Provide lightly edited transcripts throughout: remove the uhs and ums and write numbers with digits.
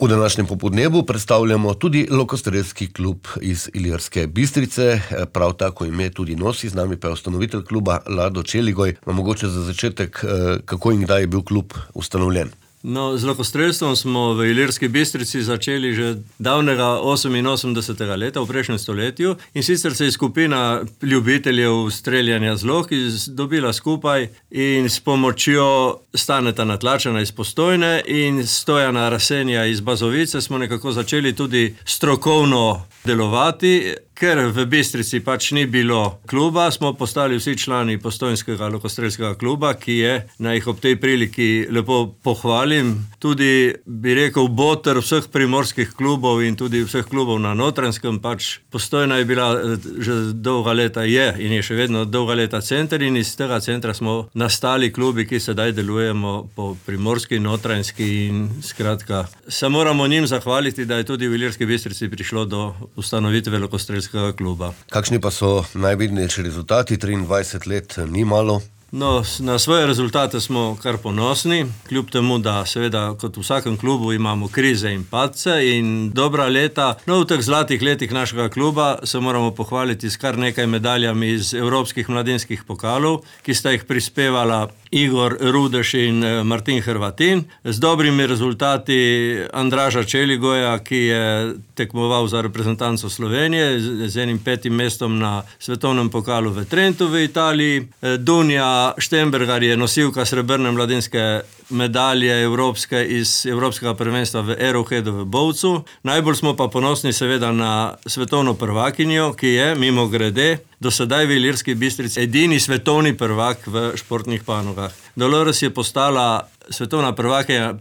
V današnjem popoldnevu predstavljamo tudi Lokostrelski klub iz Ilirske Bistrice, prav tako ime tudi nosi, z nami pa je ustanovitelj kluba Lado Čeligoj. Mogoče za začetek, kako in kdaj je bil klub ustanovljen? No, z lokostrelstvom smo v Ilirski Bistrici začeli že davnega 88. leta v prejšnjem stoletju, in sicer se je skupina ljubiteljev streljanja z loki dobila skupaj in s pomočjo Staneta Natlačana iz Postojne in Stojana Rasenja iz Bazovice smo nekako začeli tudi strokovno delovati. Ker v Bistrici pač ni bilo kluba, smo postali vsi člani Postojnskega lokostrelskega kluba, ki je, naj jih ob tej priliki lepo pohvalim, tudi, bi rekel, boter vseh primorskih klubov in tudi vseh klubov na Notranjskem. Pač Postojna je bila že dolga leta in je še vedno dolga leta center, in iz tega centra smo nastali klubi, ki sedaj delujemo po Primorski, Notranjski, in skratka, se moramo njim zahvaliti, da je tudi v Ilirski Bistrici prišlo do ustanovitve lokostrelskega kluba. Kakšni pa so najvidnejši rezultati? 23 let ni malo. No, na svoje rezultate smo kar ponosni, kljub temu, da seveda kot v vsakem klubu imamo krize in padce in dobra leta. No, v teh zlatih letih našega kluba se moramo pohvaliti s kar nekaj medaljami iz evropskih mladinskih pokalov, ki sta jih prispevala Igor Rudeš in Martin Hrvatin, z dobrimi rezultati Andraža Čeligoja, ki je tekmoval za reprezentanco Slovenije z enim 5. mestom na svetovnem pokalu v Trentu v Italiji. Dunja Štembergar je nosilka srebrne mladinske medalje evropske iz Evropskega prvenstva v Arrowheadu v Bovcu. Najbolj smo pa ponosni seveda na svetovno prvakinjo, ki je, mimogrede, do sedaj v Ilirski Bistrici edini svetovni prvak v športnih panogah. Dolores je postala svetovna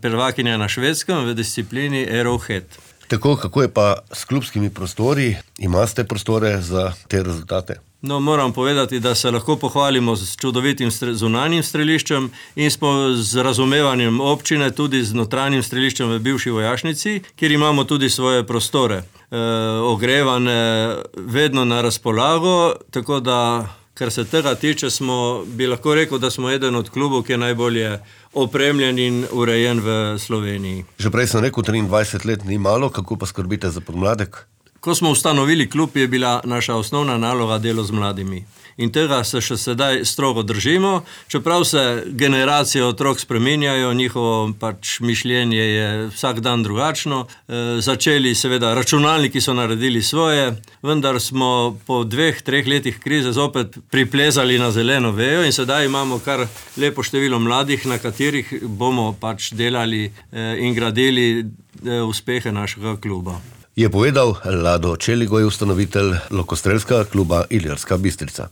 prvakinja na Švedskem v disciplini Arrowhead. Tako, kako je pa s klubskimi prostori? Imate prostore za te rezultate? No, moram povedati, da se lahko pohvalimo z čudovitim zunanjim streliščem in smo z razumevanjem občine tudi z notranjim streliščem v bivši vojašnici, kjer imamo tudi svoje prostore. Ogrevane, vedno na razpolago, tako da, kar se tega tiče, bi lahko rekel, da smo eden od klubov, ki je najbolje opremljen in urejen v Sloveniji. Že prej sem rekel, 23 let ni malo, kako pa skrbite za podmladek? Ko smo ustanovili klub, je bila naša osnovna naloga delo z mladimi. In tega se še sedaj strogo držimo, čeprav se generacije otrok spreminjajo, njihovo pač mišljenje je vsak dan drugačno. Začeli seveda, računalniki so naredili svoje, vendar smo po 2-3 letih krize zopet priplezali na zeleno vejo in sedaj imamo kar lepo število mladih, na katerih bomo pač delali in gradili uspehe našega kluba. Je povedal Lado Čeligoj, ustanovitelj Lokostrelskega kluba Ilirska Bistrica.